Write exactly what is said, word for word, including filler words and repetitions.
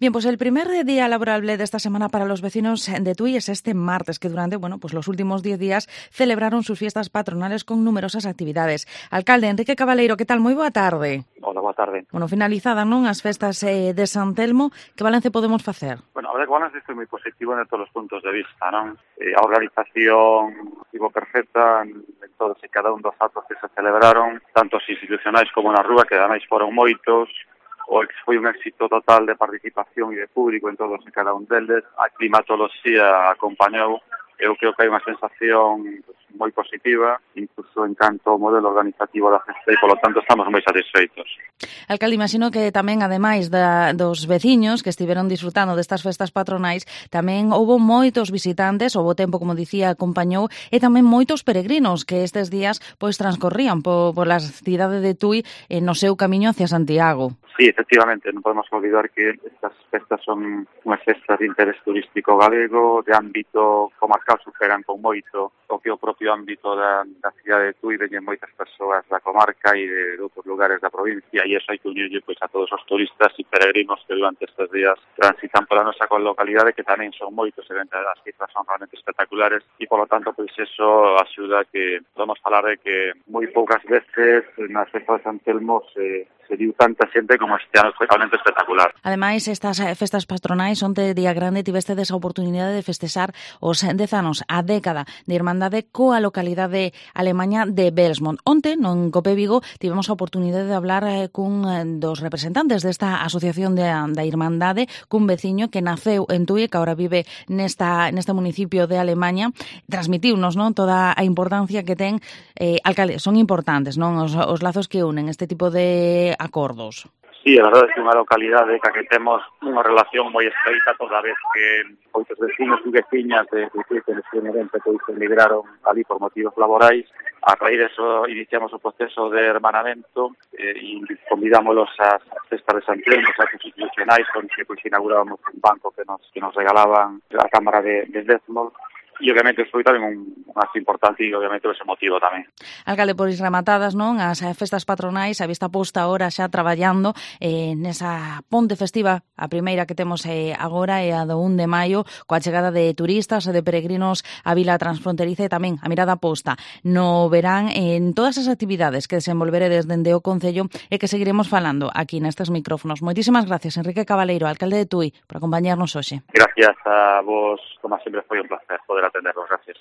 Bien, pues el primer día laborable de esta semana para los vecinos de Tui es este martes, que durante, bueno, pues los últimos diez días celebraron sus fiestas patronales con numerosas actividades. Alcalde Enrique Cabaleiro, que tal? Moi boa tarde. Hola, boa tarde. Bueno, finalizadas, non, as festas eh, de San Telmo, que balance podemos facer? Bueno, a ver, o balance foi moi positivo en todos os puntos de vista, non? Eh, a organización estivo perfecta en, en todos e cada un dos actos que se celebraron, tanto os institucionais como na rúa, que ademais foron moitos. O que foi un éxito total de participación e de público en todos e cada un deles. A climatoloxía acompañou. Eu creo que hai unha sensación pues, moi positiva, incluso en canto ao modelo organizativo da festa e, polo tanto, estamos moi satisfeitos. Alcalde, imagino que tamén, ademais da, dos veciños que estiveron disfrutando destas festas patronais, tamén houbo moitos visitantes, houbo tempo, como dicía, acompañou, e tamén moitos peregrinos que estes días pois transcorrían po, pola cidade de Tui eh, no seu camiño hacia Santiago. Sí, efectivamente, non podemos olvidar que estas festas son unhas festas de interés turístico galego, de ámbito comarcal, superan con moito o que o propio ámbito da, da cidade de Tui, veñen moitas persoas da comarca e de, de outros lugares da provincia, e iso hai que unirlle pois, a todos os turistas e peregrinos que durante estes días transitan pola nosa localidade, que tamén son moitos, e dentro das cifras son realmente espectaculares, e polo tanto, pois eso axuda a que podemos falar de que moi poucas veces nas festas de San Telmo se, se viu tanta xente como este ano, foi realmente espectacular. Ademais, estas festas patronais onte día grande tivestedes a oportunidade de festexar os dez anos, a década de Irmandade coa localidade alemaña de Belsmont. Onte, non Cope Vigo, tivemos a oportunidade de hablar eh, cun eh, dos representantes desta asociación de, da Irmandade, cun veciño que naceu en Tui, que agora vive nesta, neste municipio de Alemaña. Transmitiunos, non, toda a importancia que ten, eh, alcalde, son importantes, non, os, os lazos que unen este tipo de acordos. Sí, a verdade é que unha localidade ca que temos unha relación moi estreita, toda vez que moitos vecinos e veciñas de Tui que neste pois emigraron ali por motivos laborais. A raíz de eso iniciamos o proceso de hermanamento eh, e convidámoslos ás festas de San Telmo, as institucionais, onde pois inaugurábamos un banco que nos que nos regalaban a Cámara de, de Belsmont. E obviamente foi tamén un, un acto importante e obviamente ese motivo tamén. Alcalde, pois rematadas, non, as festas patronais, a vista posta ahora xa traballando eh, nesa ponte festiva, a primeira que temos eh, agora é a do un de maio, coa chegada de turistas e de peregrinos á vila transfronteriza e tamén a mirada posta no verán en todas as actividades que desenvolveredes dende o Concello e que seguiremos falando aquí nestes micrófonos. Moitísimas gracias, Enrique Cabaleiro, alcalde de Tui, por acompañarnos hoxe. Gracias a vos, como sempre foi un placer poder atenderlos, gracias.